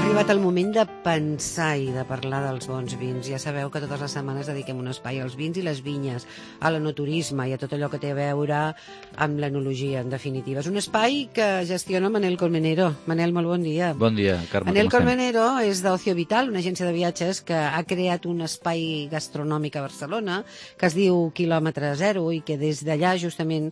arribat el moment de pensar i de parlar dels bons vins. Ja sabeu que totes les setmanes dediquem un espai als vins i les vinyes, a l'enoturisme i a tot allò que té a veure amb l'enologia, en definitiva. És un espai que gestiona Manel Colmenero. Manel, molt bon dia. Bon dia, Carme. Manel Colmenero és d'Ocio Vital, una agència de viatges que ha creat un espai gastronòmic a Barcelona que es diu Quilòmetre Zero i que des d'allà justament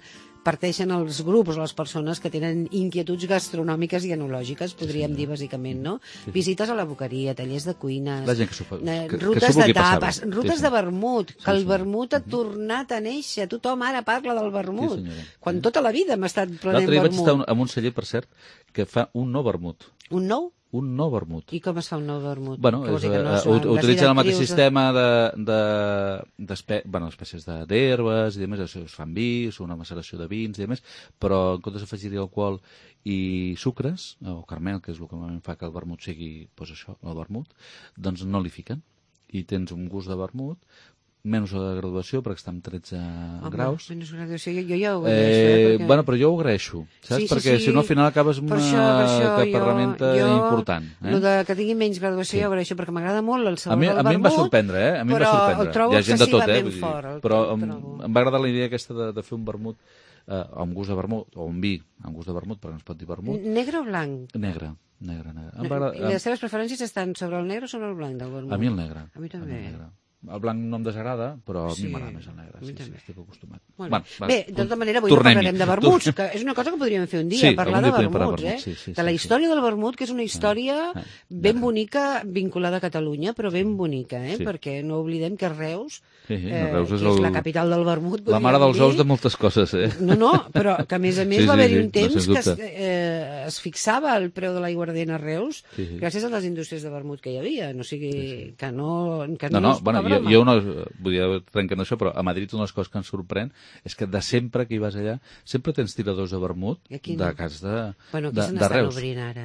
parteixen els grups o les persones que tenen inquietuds gastronòmiques i enològiques, podríem dir bàsicament, no? Visites a la boqueria, tallers de cuines, rutes de tapes, rutes de vermut, que el vermut ha tornat a néixer. Tothom ara parla del vermut, quan tota la vida hem estat prenent vermut. L'altre dia vaig estar en un celler, per cert, que fa un nou vermut. Un nou? Un nou vermut. I com es fa un nou vermut? Bueno, utilitzen el mateix sistema d'espècies d'herbes i demés, es fan vi, és una maceració de vins i demés, però en comptes d'afegir-hi alcohol i sucres, o caramel, que és el que normalment fa que el vermut sigui, doncs això, el vermut, doncs no li fiquen. I tens un gust de vermut, menys la graduació, perquè està amb 13 graus. Menys graduació, jo ja ho agraeixo. Bueno, però jo ho agraeixo, saps? Perquè si no al final acabes amb una ferramenta important. El que tingui menys graduació ja ho agraeixo, perquè m'agrada molt el sabor del vermut. A mi em va sorprendre, A mi em va sorprendre. Però el trobo excessivament fort. Però em va agradar la idea aquesta de fer un vermut amb gust de vermut, o un vi amb gust de vermut, perquè no es pot dir vermut. Negre o blanc? Negre. I les teves preferències estan sobre el negre o sobre el blanc del vermut? A mi el negre. A mi també. El blanc no em desagrada, però a mi m'agrada més el negre. Sí, estic acostumat. Bé, de tota manera, avui parlarem de vermuts, que és una cosa que podríem fer un dia, parlar de vermuts, de la història del vermut, que és una història ben bonica, vinculada a Catalunya, però ben bonica, perquè no oblidem que Reus, que és la capital del vermut, la mare dels ous de moltes coses, No, però que a més va haver-hi un temps que es fixava el preu de l'aiguardent a Reus gràcies a les indústries de vermut que hi havia, no sigui que no... Jo no vull dir, trenquen això, però a Madrid una de les coses que ens sorprèn és que de sempre que hi vas allà sempre tens tiradors de vermut de cas de Reus. Bueno, aquí se n'estan obrint ara,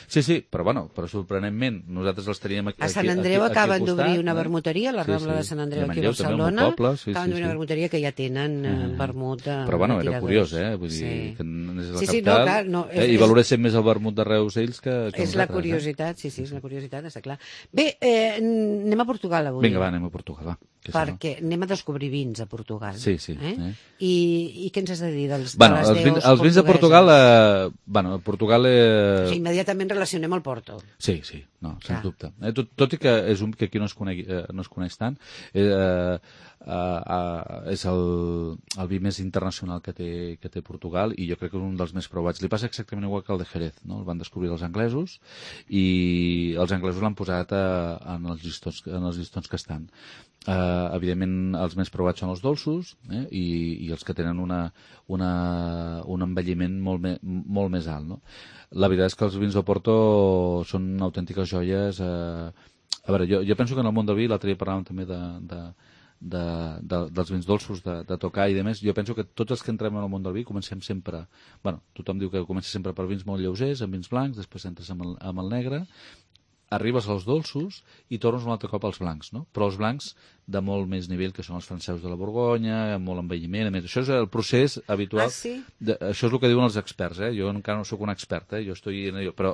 Sí, però sorprenentment nosaltres els teníem aquí. A Sant Andreu acaben d'obrir una vermuteria, a la Rambla de Sant Andreu aquí a Barcelona, acaben d'obrir una vermuteria que ja tenen vermut de tiradors. Però bueno, era curiós, vull dir, que és la capital, i valoréssim més el vermut de Reus ells que és la curiositat, sí, és la curiositat, està clar. Bé, anem a Portugal avui. Vinga, va, anem a Portugal, va. Perquè anem a descobrir vins a Portugal. Sí. I què ens has de dir dels els vins de Portugal... Portugal... Immediatament relacionem el Porto. Sí, no, sens dubte. Tot i que és un que aquí no es coneix tant, és el vi més internacional que té Portugal i jo crec que és un dels més provats. Li passa exactament igual que el de Jerez, no? El van descobrir els anglesos i els anglesos l'han posat en els llistons que estan. Evidentment els més provats són els dolços i els que tenen un envelliment molt més alt, no? La veritat és que els vins de Porto són autèntiques joies. A veure, jo penso que en el món del vi, l'altre dia parlàvem també dels vins dolços, de tocar i demés. Jo penso que tots els que entrem en el món del vi comencem sempre... Tothom diu que comença sempre per vins molt lleugers, amb vins blancs, després entres amb el negre, arribes als dolços i tornes un altre cop als blancs, no? Però els blancs de molt més nivell, que són els francesos de la Borgonya, amb molt envelliment, a més. Això és el procés habitual. Això és el que diuen els experts, Jo encara no sóc un expert, però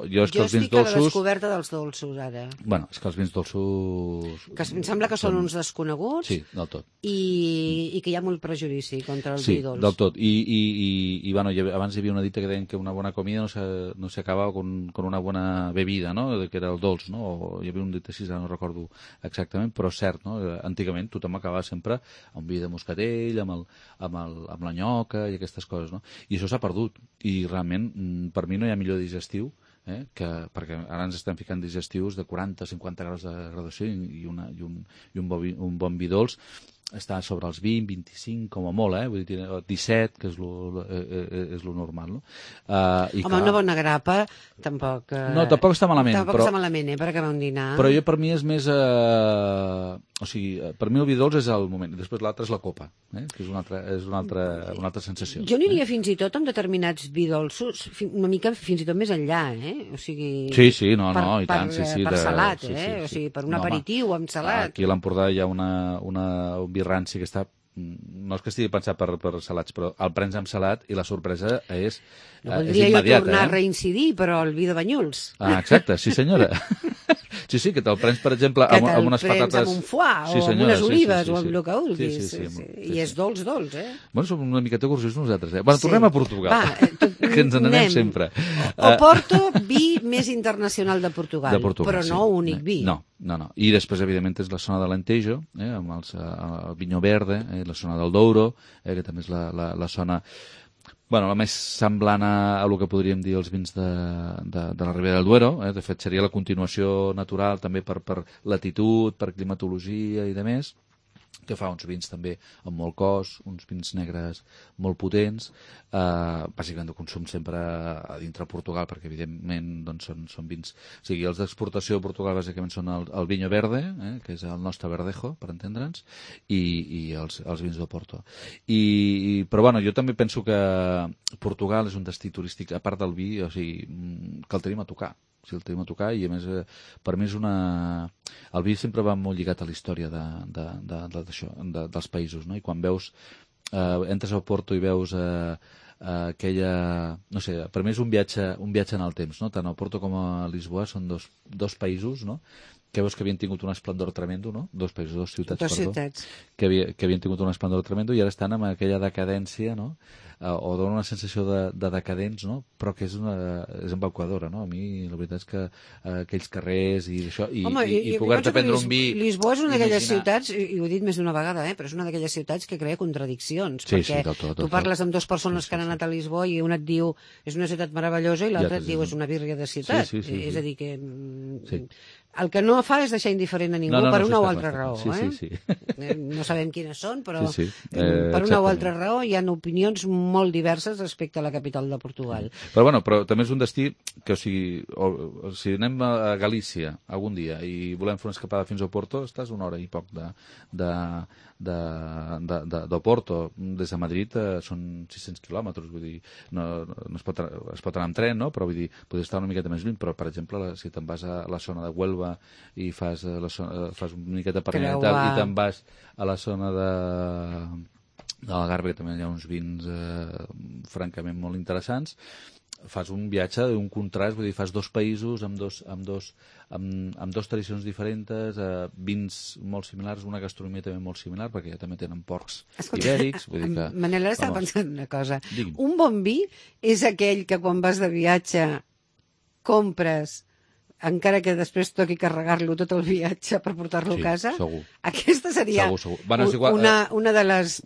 jo és que els vins dolços... Jo estic a la descoberta dels dolços, ara. És que els vins dolços... Que em sembla que són uns desconeguts. Sí, del tot. I que hi ha molt prejudici contra el vi dolç. Sí, del tot. I abans hi havia una dita que deien que una bona comida no s'acaba con una bona bebida, no? Que era el dolç, no? O hi havia un dit així, no recordo exactament, però cert, no? Antigament tothom acabava sempre amb vi de moscatell, amb la nyoca i aquestes coses, no? I això s'ha perdut. I realment, per mi no hi ha millor digestiu, perquè ara ens estem ficant digestius de 40-50 graus de graduació i un bon vi dolç està sobre els 20, 25, com a molt, vull dir, 17, que és lo normal, no? Home, una bona grapa, tampoc... No, tampoc està malament. Tampoc està malament, per acabar un dinar. Però per mi és més... O sigui, per mi el vi dolç és el moment, després l'altre és la copa, que és una altra sensació. Jo aniria fins i tot amb determinats vi dolços, una mica fins i tot més enllà, O sigui... Sí, no, i tant, sí. Per salat, O sigui, per un aperitiu amb salat. Aquí a l'Empordà hi ha un vi ranci que està no és que estigui pensat per salats, però el prens amb salat i la sorpresa és voldria immediata. Jo tornar a reincidir, però el vi de Banyuls. Exacte, sí senyora. Sí, que te'l prens, per exemple, amb unes patates... Que te'l prens amb un foie, o amb unes olives, o amb el que vulguis. I és dolç, eh? Bueno, som una miqueta gorgis nosaltres, eh? Bueno, tornem a Portugal, que ens n'anem sempre. Oporto, vi més internacional de Portugal, però no únic vi. No. I després, evidentment, és la zona de l'Alentejo, amb el Vinho Verde, la zona del Douro, que també és la zona... Bueno, la més semblant a el que podríem dir els vins de la Ribera del Duero. De fet, seria la continuació natural també per latitud, per climatologia i demés, que fa uns vins també amb molt cos, uns vins negres molt potents, bàsicament de consum sempre a dintre Portugal, perquè evidentment doncs, són vins... O sigui, els d'exportació de Portugal bàsicament són el Vinho Verde, que és el nostre verdejo, per entendre'ns, i els vins d'Oporto. Però bueno, jo també penso que Portugal és un destí turístic, a part del vi, o sigui, que el tenim a tocar. Si el tenim a tocar, i a més per mi és una... El vi sempre va molt lligat a la història dels països, no? I quan veus, entres a Porto i veus aquella... No sé, per mi és un viatge en el temps, no? Tant a Porto com a Lisboa són dos països, no? Que veus que havien tingut un esplendor tremendo, no? Dos ciutats. Que havien tingut un esplendor tremendo i ara estan amb aquella decadència, no? O dona una sensació de decadents, no? Però que és embaucadora, no? A mi la veritat és que aquells carrers i això, i poder-te prendre un vi... Lisboa és una d'aquelles ciutats, i ho he dit més d'una vegada, però és una d'aquelles ciutats que crea contradiccions, perquè tu parles amb dues persones que han anat a Lisboa i una et diu és una ciutat meravellosa i l'altra et diu és una bírria de ciutat. És a dir, que el que no fa és deixar indiferent a ningú per una o altra raó. No sabem quines són, però per una o altra raó hi ha opinions molt diverses respecte a la capital de Portugal. Però també és un destí que, o sigui anem a Galícia algun dia i volem fer una escapada fins a Oporto, estàs una hora i poc d'Oporto. Des de Madrid són 600 quilòmetres, vull dir, es pot anar amb tren, no? Però vull dir, podria estar una miqueta més lluny, però, per exemple, si te'n vas a la zona de Huelva i fas una miqueta per allà i te'n vas a la zona de l'Algarve, que també hi ha uns vins francament molt interessants, fas un viatge d'un contrast, vull dir, fas dos països amb dos tradicions diferents, vins molt similars, una gastronomia també molt similar, perquè ja també tenen porcs ibèrics. Manel, ara estava pensant una cosa. Un bon vi és aquell que quan vas de viatge compres encara que després toqui carregar-lo tot el viatge per portar-lo a casa? Segur. Aquesta seria una de les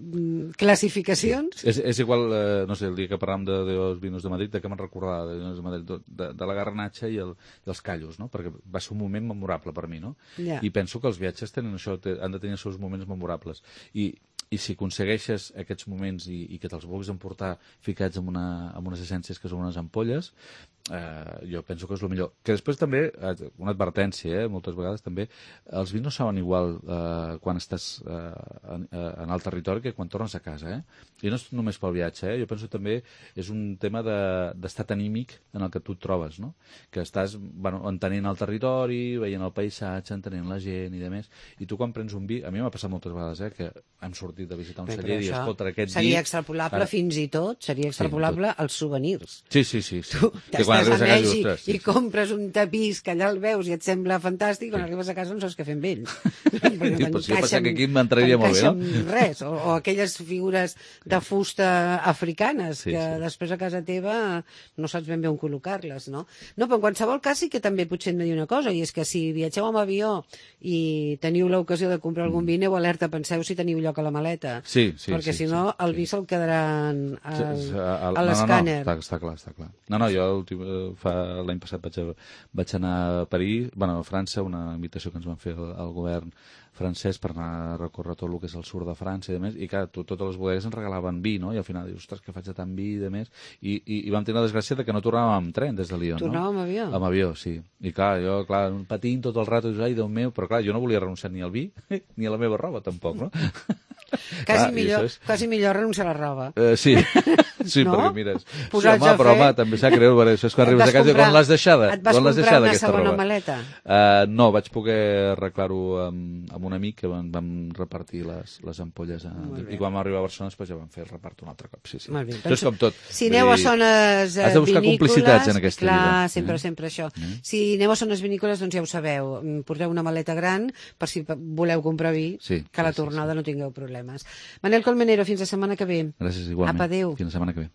classificacions? És igual, no sé, el dia que parlàvem dels vinos de Madrid, que me'n recordava de la garnatxa i els callos, no? Perquè va ser un moment memorable per mi, no? I penso que els viatges tenen això, han de tenir els seus moments memorables. I si aconsegueixes aquests moments i que te'ls vulguis emportar ficats amb unes essències que són unes ampolles, jo penso que és el millor. Que després també, una advertència, moltes vegades també, els vins no saben igual quan estàs en el territori que quan tornes a casa, I no és només pel viatge, Jo penso també és un tema d'estat anímic en el que tu et trobes, no? Que estàs entenent el territori, veient el paisatge, entenent la gent i demés, i tu quan prens un vi, a mi m'ha passat moltes vegades, que hem sortit de visitar un celler i escolta aquest vi... Seria extrapolable fins i tot, seria extrapolable als souvenirs. Sí. Tu t'estàs a Mèxic i compres un tapís que allà el veus i et sembla fantàstic, quan arribes a casa no saps què fer amb ell. Jo pensava que aquí m'entraria molt bé, no? Res, o aquelles figures de fusta africanes que després a casa teva no saps ben bé on col·locar-les, no? No, però en qualsevol cas sí que també potser hem de dir una cosa, i és que si viatgeu amb avió i teniu l'ocasió de comprar algun vi, aneu alerta, penseu si teniu lloc a la maleta. Perquè si no el vi se'l quedaran a l'escàner. Està clar. No, jo l'any passat vaig anar a París, a França, una invitació que ens van fer al govern francès per anar a recórrer tot el que és el sud de França i demés, i clar, totes les bodegues ens regalaven vi, no? I al final dius, ostres, que faig de tant vi i demés, i vam tenir la desgràcia que no tornàvem amb tren des de Lyon, no? Tornàvem amb avió? Amb avió, sí. I clar, jo, patint tot el rato, dius, ai, Déu meu, però clar, jo no volia renunciar ni al vi, ni a la meva roba, tampoc, no? Quasi millor renunciar a la roba. Sí, sí, No? perquè mires... Posats home, a però fer- home, també s'ha greu, perquè això és quan arribes a casa i quan l'has deixada. Et vas quan l'has comprar deixada, una aquesta segona roba? maleta? No, vaig poder arreglar-ho amb un amic que vam repartir les ampolles i quan vam arribar a Barcelona després ja vam fer el repart un altre cop. Sí, sí. Molt bé. Això és com tot. Si aneu a zones has de buscar vinícoles... complicitats en aquesta clar, vida. sempre això. Si aneu a zones vinícoles, doncs ja ho sabeu. Porteu una maleta gran per si voleu comprar vi, Sí, que a la sí, tornada no tingueu problemes. Manel Colmenero, fins la setmana que ve. Gràcies, igualment. Apa, adéu. Fins la setmana que ve.